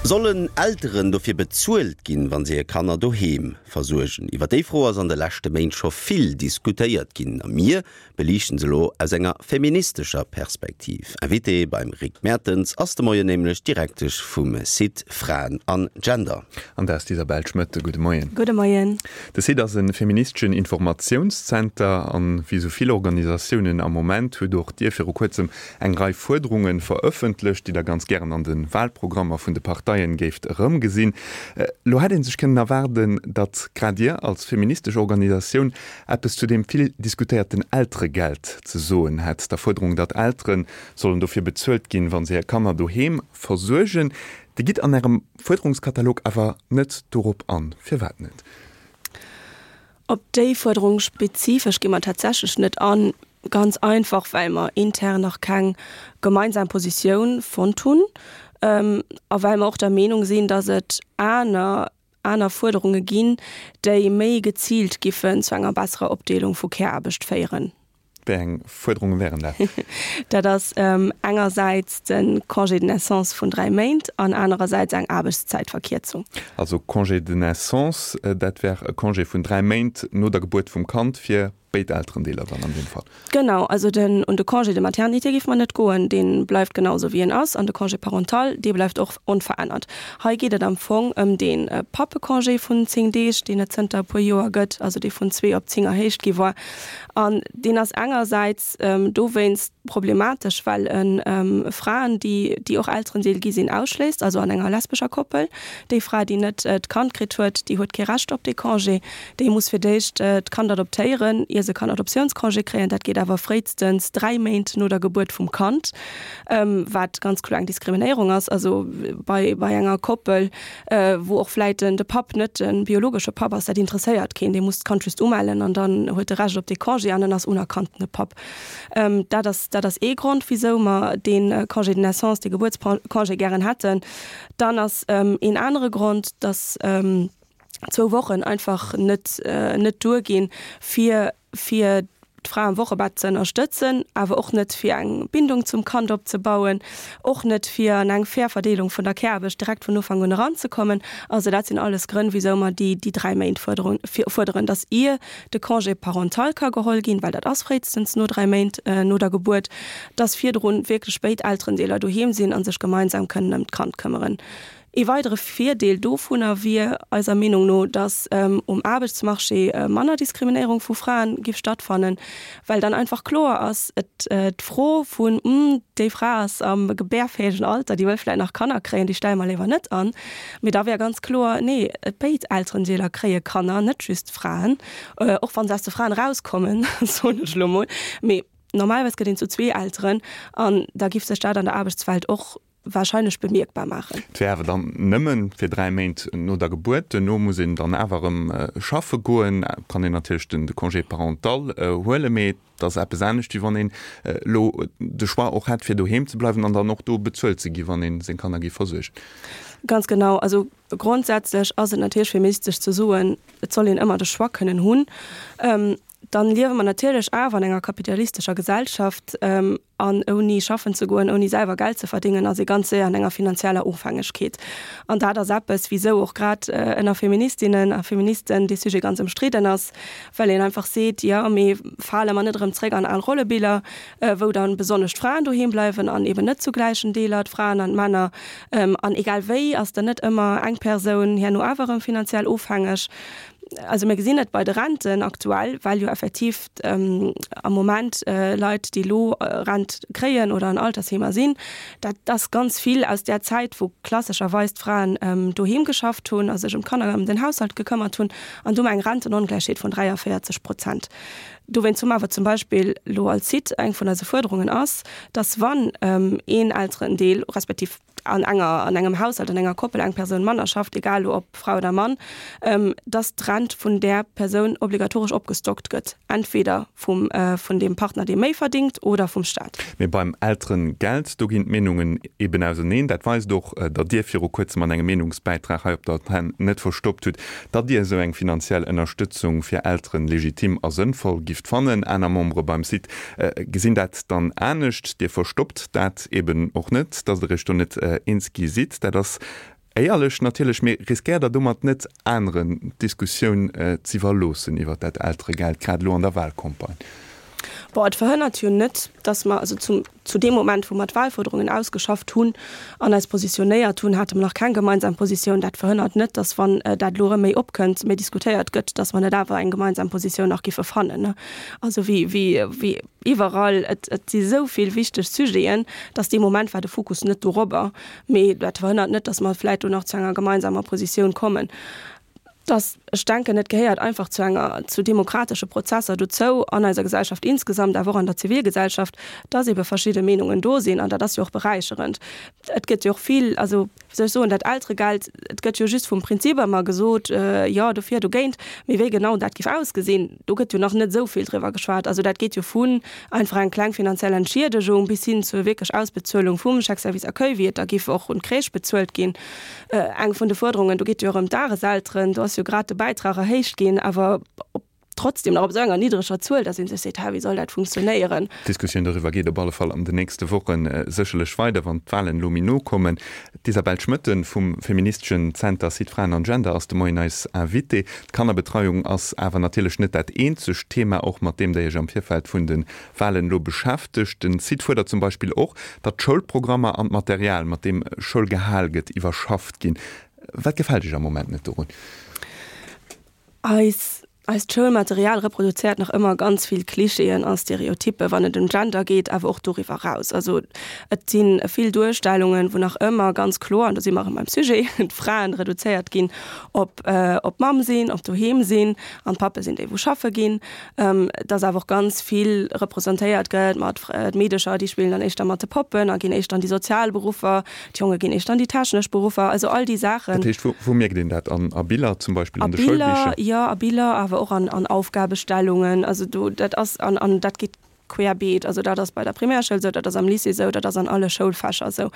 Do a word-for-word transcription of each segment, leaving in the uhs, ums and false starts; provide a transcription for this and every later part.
Sollen Elteren dofir bezuelt ginn, wann se hir Kanner doheem versuergen? Iwwer déi Fro ass an de leschte Méint scho vill diskutéiert ginn. A mir beliichten se elo aus enger feministescher Perspektiv. Invitée beim Rick Mertens ass de Moien nämlech d'Direktesch vum Site Fraen an Gender. An dat ass d'Isabel Schmit. Gudde Moien. Gudde Moien. De Site ass e feministeschen Informatiounszenter an wéi sou vill Organisatiounen am Moment hutt och Dir viru kuerzem eng Rei Fuerderunge verëffentlecht, déi Der ganz gären an de Walprogrammer vun de Parteien géift erëmgesinn. Lo hätt ee sech kënnen erwaarden, datt grad Dir als feministesch Organisatioun eppes zu deem vill diskutéierten Elteregeld ze soen hätt, der Fuerderung, datt Eltere sollen dofir bezuelt ginn, wa se hir Kanner doheem versuergen. Dir gitt an Ärem Fuerderungskatalog awer net dorop an. Firwat net? Op déi Fuerderung spezifesch gi mer tatsächlech net an, ganz einfach well mer intern nach keng gemeinsam Positioun fonnt hunn a well mer och der Meenung sinn, datt et aner aner Fuerderunge ginn, déi méi geziilt giffen zu enger besserer Opdeelung vu Care-Aarbecht féieren. Wéi eng Fuerderunge wären dat? Dat ass engersäits de Congé de naissance vun dräi Méint an anerersäits eng Aarbechtszäitverkierzung. Also Congé de naissance, dat wär e Congé vun dräi Méint no der Gebuert vum Kand fir béid Elterendeeler dann an deem Fall. Genau, also den, un de Congé de maternité géife mer net goen, dee bleift genau esou wéi en ass, an de Congé parental, dee bleift och onverännert. Hei geet et am Fong ëm dee Pappecongé vun zéng Deeg, deen et zënter e puer Joer gëtt, also dee vun zwee op zéng erhéicht gi war. An deen ass engersäits dowéinst problematesch, well e Fraen, déi, déi och Elterendeel gi sinn, ausschléisst, also an enger lesbescher Koppel. Déi Fra, déi net d'Kand kritt huet, déi huet kee Recht op dee Congé. Déi muss fir d'éischt d'Kand adoptéieren, ier se kann Adoptiounscongé kréien. Dat geet awer fréistens dräi Méint no der Gebuert vum Kand, wat ganz kloer eng Diskriminéierung ass. Also bei, bei enger Koppel, wou och vläit den, de Papp net de biologesche Papp ass, dat interesséiert keen. Dee muss d'Kand just umellen an dann huet e Recht op dee Congé an en ass unerkanntene Papp. Dat ass, dat ass ee Grond, wisou mer dee Congé de naissance, dee Gebuertscongé gären hätten. Dann ass een anere Grond, dass zwou Wochen einfach net, net duerginn, fir, fir d'Fra am Wochebett ze ënnerstëtzen, awer och net fir eng Bindung zum Kand opzebauen, och net fir an eng fair Verdeelung vun der Care-Aarbecht direkt vun Ufank un eranzekommen. Also dat sinn alles Grënn, wisou mer déi, déi dräi Méint fuerderen, fuerderen, dass ier de Congé parental ka geholl ginn, well dat ass fréistens no dräi Méint no der Gebuert, dass virdrun wierklech béid Elterendeeler doheem sinn a sech gemeinsam kënnen ëm d'Kand këmmeren. Ee weidere Virdeel dovunner wier eiser Meenung no, datt um Aarbechtsmarché manner Diskriminéierung vu Fraen giff stattfannen, well dann einfach kloer ass, et d'Fro vun, Hm, déi Fra ass am gebärfäegen Alter, déi wëll vläicht nach Kanner kréien, déi stelle mer léiwer net an. Mee da wär ganz kloer, Nee, béid Elterendeeler kréie Kanner, net just d'Fraen, och wa se aus de Fraen erauskommen, soen ech elo mol. Mee normalerweis gëtt een zu zwee Elteren an da giff sech dat an der Aarbechtswelt och wahrscheinlech bemierkbar maachen. Et wär awer dann nëmmen fir dräi Méint no der Gebuert. Duerno muss een dann awer erëm schaffe goen. Et kann een natierlech den de Congé parental huelen, mee et ass eppes anescht, wéi wann een elo de Choix och hätt, fir doheem ze bleiwen an dann och do bezuelt ze gi wann ee seng Kanner géif versuergen. Ganz genau. Also grondsätzlech ass et natierlech feministesch ze soen, et soll een ëmmer de Choix kënnen hunn. Dann liewe mer natierlech awer an enger kapitalistescher Gesellschaft an ouni schaffen ze goen, ouni selwer Geld ze verdéngen, ass ee ganz séier an enger finanzieller Ofhängegkeet. An dat ass eppes, wisou och grad ënner Feministinnen a Feministen dee Sujet ganz ëmstridden ass, well een einfach seet, jo, mee fale mer net erëm zréck an al Rollebiller, wou dann besonnesch d'Fraen doheem bleiwen an eben net zu gläichen Deeler d'Fraen an d'Männer. An egal wéi ass dann net ëmmer eng Persoun herno awer erëm finanziell ofhängeg. Also mir gesinn et bei de Renten aktuell, well jo effektiv am Moment Leit, déi elo Rent kréien oder an Altersheemer sinn, dat ass ganz vill aus där Zäit, wou klassescherweis d'Fraen doheem geschafft hunn a sech ëm d'Kanner, ëm den Haushalt gekëmmert hunn. An do hu mer eng Rentenongläichheet vun dräiavéierzeg Prozent. Dowéinst hu mer awer zum Beispill elo als Site, eng vun eise Fuerderungen ass, dass wann een Elterendeel respektiv an enger, an engem Haushalt, an enger Koppel eng Persoun manner schafft, egal elo ob Fra oder Mann, dass d'Rent vun där Persoun obligatoresch opgestockt gëtt, entweder vum, vun deem Partner, dee méi verdingt, oder vum Staat. Mee beim Elterengeld, do ginn d'Meenungen eben auseneen. Dat weist och, datt Dir viru kuerzem an engem Meenungsbäitrag hei op der Antenn net verstoppt hutt, datt Dir esou eng finanziell Ënnerstëtzung fir Elteren legitim a sënnvoll gifft fannen. Aner Membere beim Site gesinn dat dann anescht. Dir verstoppt dat eben och net, datt Der Iech do net eens gi sidd. Dat ass éierlech natierlech, mee riskéiert Der domat net aneren d'Diskussioun z'iwwerloossen iwwert dat Elteregeld, grad elo an der Wahlcampagne? Bon, et verhënnert jo net, dass mer, also zum, zu deem Moment, wou mer d'Wahlforderungen ausgeschafft hunn an eis positionéiert hunn, hate mer nach keng gemeinsam Positioun. Dat verhënnert net, dass, wann dat elo erëm méi opkënnt, méi diskutéiert gëtt, dass mer net awer eng gemeinsam Positioun nach giffe fannen. Also wéi, wéi, wéi iwwerall, et, et si sou vill wichteg Sujeten, dass dee Moment war de Fokus net dorobber. Mee dat verhënnert net, dass mer vläicht do nach zu enger gemeinsamer Positioun kommen. Dass, ech denken, et gehéiert einfach zu enger, zu demokratesche Prozesser dozou an eiser Gesellschaft insgesamt, awer och an der Zivilgesellschaft, dass ebe verschidde Meenungen do sinn, an dat ass jo och beräicherend. Et gëtt jo och vill, also, wéi soll ech soen, dat Elteregeld, et gëtt jo just vum Prinzip ëmmer gesot, jo, dofir, dogéint, mee wéi genau dat géif ausgesinn, do gëtt jo nach net esou vill driwwer geschwat. Also dat geet jo vun einfach eng kleng finanziell Entschiedegung bis hin zur wierklech Ausbezuelung vum Chèque service accueil, wéi et da géif och un d'Crèche bezuelt ginn. Eng vun de Fuerderungen, do geet jo och ëm d'Dageselteren, do ass jo grad de Bäitrag erhéicht ginn, awer op trotzdem nach op esou enger niddreger Zuel, dass ee sech seet, Hä, wéi soll dat funktionéieren? D'Diskussioun doriwwer geet op alle Fall an den nächste Woche sécherlech weider, wann d'Walen elo méi no kommen. D'Isabelle Schmoetten vum feministeschen Zenter Site Fraen an Gender ass de Moien eis Invitée. D'Kannerbetreiung ass awer natierlech net dat eenzegt Thema, och mat deem Der Iech am Virfeld vun de Walen elo beschäftegt. Den Site fuerdert zum Beispill och, datt d'Schoulprogrammer an d'Material, mat deem Schoul gehal gëtt, iwwerschafft ginn. Wat gefält Iech am Moment net dorun? Eis, eist Schoulmaterial reproduzéiert nach ëmmer ganz vill Klischeeën a Stereotyppe wann et ëm Gender geet, awer och doriwwer eraus. Also et si vill Duerstellungen, wou nach ëmmer ganz kloer, an do si mer erëm beim Sujet, d'Fraen reduzéiert ginn op, op Mamm sinn, op doheem sinn an d'Pappe sinn déi wou schaffe ginn. Dass awer och ganz vill representéiert gëtt mat d'Meedecher, déi spillen dann éischter mat de Poppen a ginn éischter an déi sozial Beruffer, D'Jonge ginn éischter an déi technesch Beruffer, also all déi Saachen. Dat heescht, wou, wou mierkt een dat? An, a Biller zum Beispill, A an de Biller, Schoulbicher? jo, a Biller, awer och an, an Aufgabestellungen. Also do, dat ass, an, an dat geet querbeet. Also dat ass bei der Primärschoul esou, dat ass am Lycée esou, dat ass an alle Schoulfächer esou.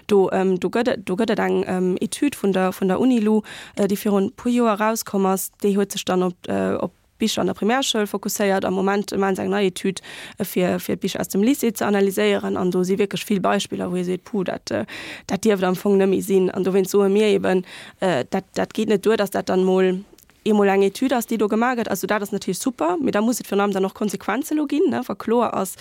Do, do gëtt et, do gëtt et eng Etüd vun der, vun der Unilu, déi virun e puer Joer erauskomm ass, déi huet sech dann op, op Bicher an der Primärschoul fokusséiert. Am Moment maachen se eng nei Etüd, fir fir d'Bicher aus dem Lycée ze analyséieren. An do si wierklech vill Beispiller, wou ee seet, Puh, dat dat dierft am Fong net méi sinn. An dowéinst soe mir eben, dat dat geet net duer, datt dat dann emol eemol eng Etüd ass, déi do gemaach gëtt. Also dat ass natierlech super, mee da muss et virun allem dann och Konsequenze lo ginn, ne, wa kloer ass,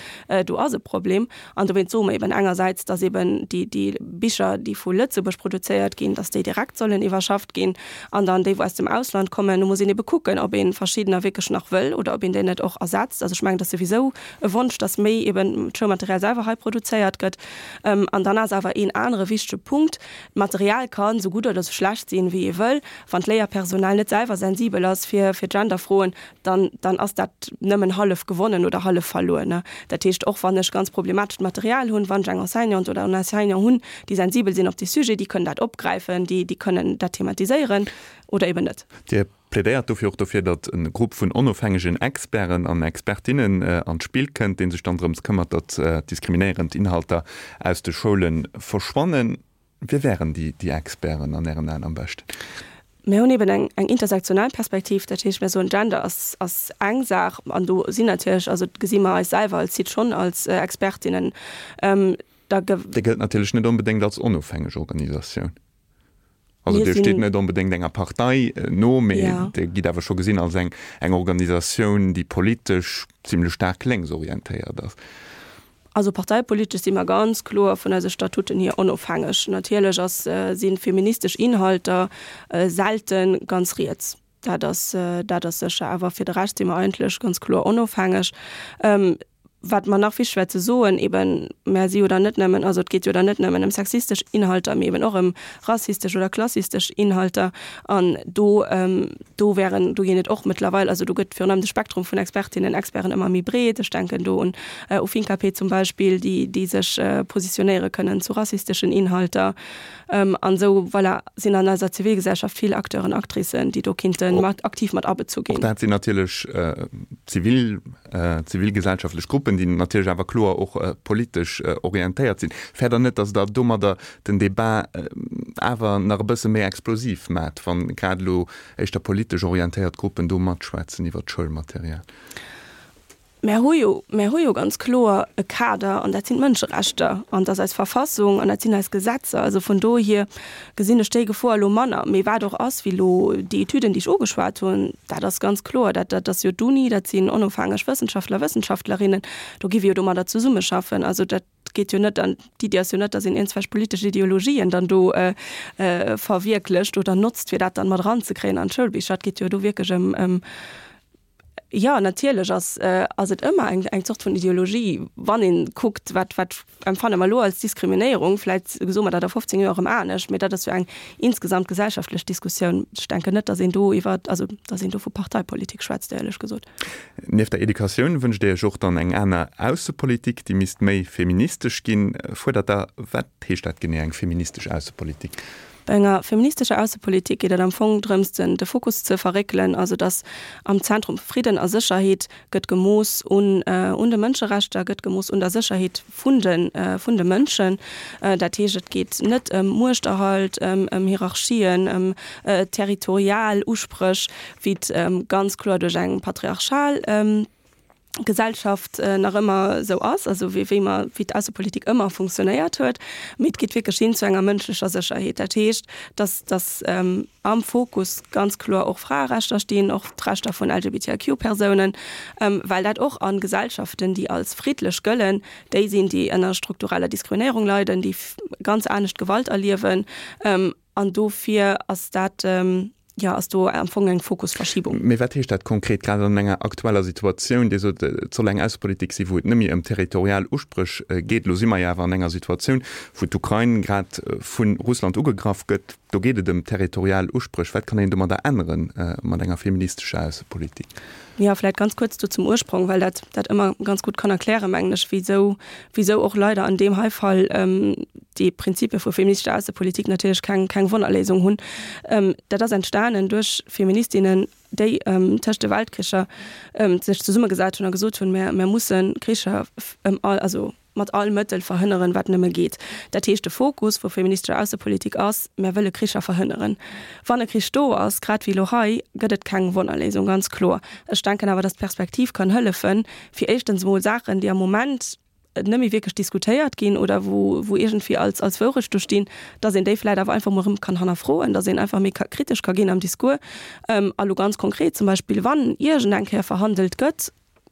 do ass e Problem. An dowéinst soe mer eben engersäits, datt eben déi déi Bicher, déi vu Lëtzebuerg produzéiert ginn, datt déi direkt sollen iwwerschafft ginn. An dann déi, wou aus dem Ausland kommen, do muss een ebe kucken, ob ee verschiddener wierklech nach wëll oder ob een déi net och ersetzt. Also ech mengen, dat ass souwisou e Wonsch, dass méi eben d'Schoulmaterial selwer hei produzéiert gëtt. An dann ass awer een anere wichtege Punkt, D'Material ka sou gutt oder sou schlecht sinn, wéi ee wëll. Wann d'Léierpersonal net selwer sensibel ass fir Genderfroen, dann, dann ass dat nëmmen hallef gewonnen oder hallef verluer. Dat heescht, och wann ech ganz problematescht Material hunn, wann ech eng Enseignante oder en Enseignant hunn, déi sensibel sinn op dee Sujet, déi kënnen dat opgräifen, déi, déi kënnen dat thematiséieren oder eben net. Dir plädéiert dofir och dofir, datt e Grupp vun onofhängegen Experten an Expertinnen an d'Spill kënnt, dee sech dann drëms këmmert, datt diskriminéierend Inhalter aus de Schoule verschwannen. Wie wären déi, déi Experten an Ären Aen am beschten? Mir hunn eben eng, eng intersektional Perspektiv, dat heescht, mir soen, Gender ass, ass eng Saach an do sinn natierlech, also gesi mer eis selwer als Site schonn als Expertinnen. Da Dir gëllt natierlech net onbedéngt als onofhängeg Organisatioun. Also Dir steet net onbedéngt enger Partei no, mee Dir gitt awer scho gesinn als eng, eng Organisatioun, déi politesch zimlech staark lénksorientéiert ass. Also parteipolitesch si mer ganz kloer vun eise Statuten hier onofhängeg. Natierlech ass, si feministesch Inhalter selten ganz riets. Dat ass, dat ass sécher. Awer fir de Rescht si mer eigentlech ganz kloer onofhängeg. Wat mer nach wichteg wär ze soen, eben, mer si jo dann net nëmmen, also et geet jo dann net nëmmen ëm sexistesch Inhalter, mee eben och ëm rassistesch oder klassistesch Inhalter. An do, do wären, do ginn et och mëttlerweil, also do gëtt virun allem de Spektrum vun Expertinnen, Experten ëmmer méi breet. Ech denken do un u Finkapé zum Beispill, déi, déi sech positionéiere kënnen zu rassisteschen Inhalter. An esou, voilà, sinn an eiser Zivilgesellschaft vill Acteuren, Actricen, déi do kinnte mat aktiv mat abezu ginn. Och dat sinn natierlech zivil, zivilgesellschaftlech Gruppen, déi natierlech awer kloer och politesch orientéiert sinn. Fäert Der net, datt Der domadder den Debat awer nach e bësse méi explosiv maacht, wa grad elo éischter politesch orientéiert Gruppen do matschwätzen iwwert d'Schoulmaterial? Mär hu jo, mär hu jo ganz kloer e Kader, an dat sinn d'Mënscherechter, an dat ass eis Verfassung an dat sinn eis Gesetzer. Also vun dohier gesinn ech déi Gefor elo manner. Mee wat och ass, wéi elo déi Etüden, déi ech ugeschwat hunn, dat ass ganz kloer, dat, dat ass jo d'Uni, dat sinn onofhängeg Wëssenschaftler, Wëssenschaftlerinnen, do gi wir jo domadder zesummeschaffen. Also dat geet jo net an, d'Iddi ass jo net, dass een iergendwelch politesch Ideologien dann do verwierklecht oder notzt, fir dat dann mat eranzekréien an d'Schoulbicher. Et geet jo do wierklech ëm, ëm, jo, natierlech ass, ass et ëmmer eng, eng Zort vun Ideologie, wann ee kuckt, wat, wat empfanne mer elo als Diskriminéierung. Vläicht soe mer dat a fofzéng Joer erëm anescht, mee dat ass jo eng insgesamt gesellschaftlech Diskussioun. Ech denken net, dass een do iwwer, also dass een do vu Parteipolitik schwätzt, éierlech gesot. Nieft der Educatioun wënscht Dir Iech och dann eng aner Aussepolitik, déi misst méi feministesch ginn, fuerdert Der. Wat heescht dat genee, eng feministesch Aussepolitik? Bei enger feministescher Aussepolitik geet et am Fong drëms, den de Fokus ze verréckelen, also datt am Zentrum Fridden a Sécherheet gëtt gemooss un un de Mënscherechter, gëtt gemooss un der Sécherheet vun de vun de Mënschen. Dat heescht, et geet net ëm Muechterhalt, ëm ëm Hierarchien, ëm territorial Uspréch, wéi et ganz kloer duerch eng patriarchal Gesellschaft nach ëmmer esou ass, also wéi wéi mer, wéi d'Aussepolitik ëmmer funktionéiert huet, mee et geet wierklech hin zu enger mënschlecher Sécherheet. Dat heescht, dass dass am Fokus ganz kloer och Fraerechter stinn, och d'Rechter vun L G B T I Q Persounen, well dat och a Gesellschaften, déi als friddlech gëllen, déi sinn, déi ënner struktureller Diskriminéierung leiden, déi ganz anescht Gewalt erliewen, an dofir ass dat, jo, ass do am Fong eng Fokusverschiebung. Mee wat heescht dat konkret, grad an enger aktueller Situatioun? Dir sot, et soll eng Aussepolitik sinn, wou et net méi ëm territorial Uspréch geet. Elo si mer jo awer an enger Situatioun, wou d'Ukrain grad vu Russland ugegraff gëtt. Do geet et ëm territorial Uspréch. Wat kann een domadder änneren, mat enger feministescher Aussepolitik? Jo, vläicht ganz kuerz do zum Ursprong, well dat dat ëmmer ganz gutt kann erklären, mengen ech, wisou wisou och leider an deem hei Fall déi Prinzipie vu feministescher Aussepolitik natierlech keng keng Wonnerléisung hunn. Dat ass entstanen duerch Feministinnen, déi tëscht de Weltkricher sech zesummegesat hunn a gesot hunn, Mär mär musse Kricher ëm all, also mat all Mëttel verhënneren, wat nëmme geet. Dat heescht, de Fokus vu feministescher Aussepolitik ass, Mär wëlle Kricher verhënneren. Wann e Krich do ass, grad wéi elo hei, gëtt et keng Wonnerléisung, ganz kloer. Ech denken awer, dass d'Perspektiv kann hëllefen, fir éischtens emol Saachen, déi am Moment net méi wierklech diskutéiert ginn oder wou wou iergendwéi als als Wourecht do stinn, dass een déi vläicht awer einfach emol erëm kann hannerfroen, dass een einfach méi ka kritesch ka ginn am Discours. A lo ganz konkret zum Beispill, wann iergendeng Kéier verhandelt gëtt,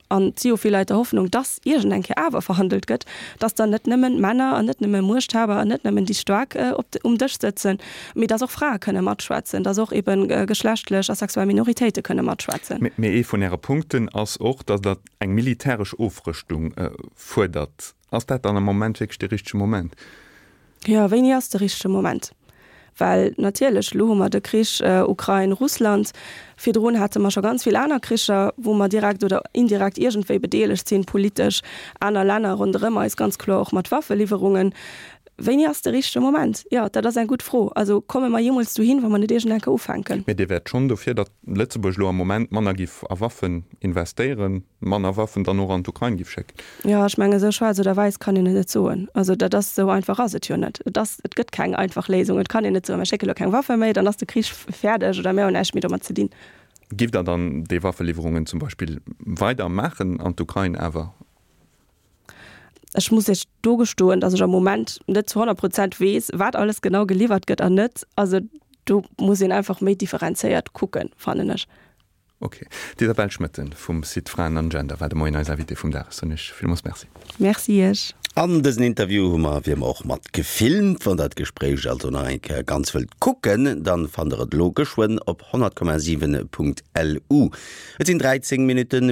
an et si jo vill Leit der Hoffnung, dass iergendeng Kéier awer verhandelt gëtt, dass dann net nëmmen Männer an net nëmme Muechthaber an net nëmmen déi Staark op um Dësch sëtzen, mee dass och Frae kënne matschwätzen, dass och eben geschlechtlech a sexuell Minoritéite kënne matschwätzen. Mee ee vun Äre Punkten ass och, dass Der eng militäresch Ofrëschtung fuerdert. Ass dat dann am Moment wierklech de richtege Moment? Jo, wéini ass de richtege Moment? Well natierlech, elo hu mer de Krich Ukrain-Russland, virdrun hate mer scho ganz vill aner Kricher, wou mer direkt oder indirekt iergendwéi bedeelegt sinn, politesch, aner Länner ronderëm eis, ganz kloer och mat Waffeliwwerungen. Wéini ass de richtege Moment? Jo, dat ass eng gutt Fro. Also komme mer jeemools dohin, wa mer net iergend eng Kéier ufänken? Mee Dir wäert schonn dofir, datt Lëtzebuerg elo am Moment manner giff a Waffen investéieren, manner Waffen dann och an d'Ukrain giff schécken? Jo, ech mengen, esou schwaarz oder wäiss kann een et net soen. Also dat ass, esou einfach ass et jo net. Et ass, et gëtt keng einfach Léisung. Et kann een net soen, mer schécke lo keng Waffe méi, dann ass de Krich fäerdeg oder mir hunn näischt méi domat ze dinn. Giff Der dann déi Waffeliwwerungen zum Beispill weider maachen an d'Ukrain awer? Ech muss Iech do gestoen, dass ech am Moment net zu honnert Prozent weess, wat alles genau geliwwert gëtt an net. Also do muss een einfach méi differenzéiert kucken, fannen ech. Ok. D'Isabelle Schmoetten vum Site Fraen an Gender war de Moien eis Invitée vum Dag. Ech soen Iech villmools Merci. Merci Iech. An dësen Interview hu mer wéi ëmmer och mat gefilmt. Wann der d'Gespréich also nach eng Kéier ganz wëllt kucken, dann fannt der et elo geschwënn op honnert Komma siwen Punkt L U. Et sinn dräizéng Minutten.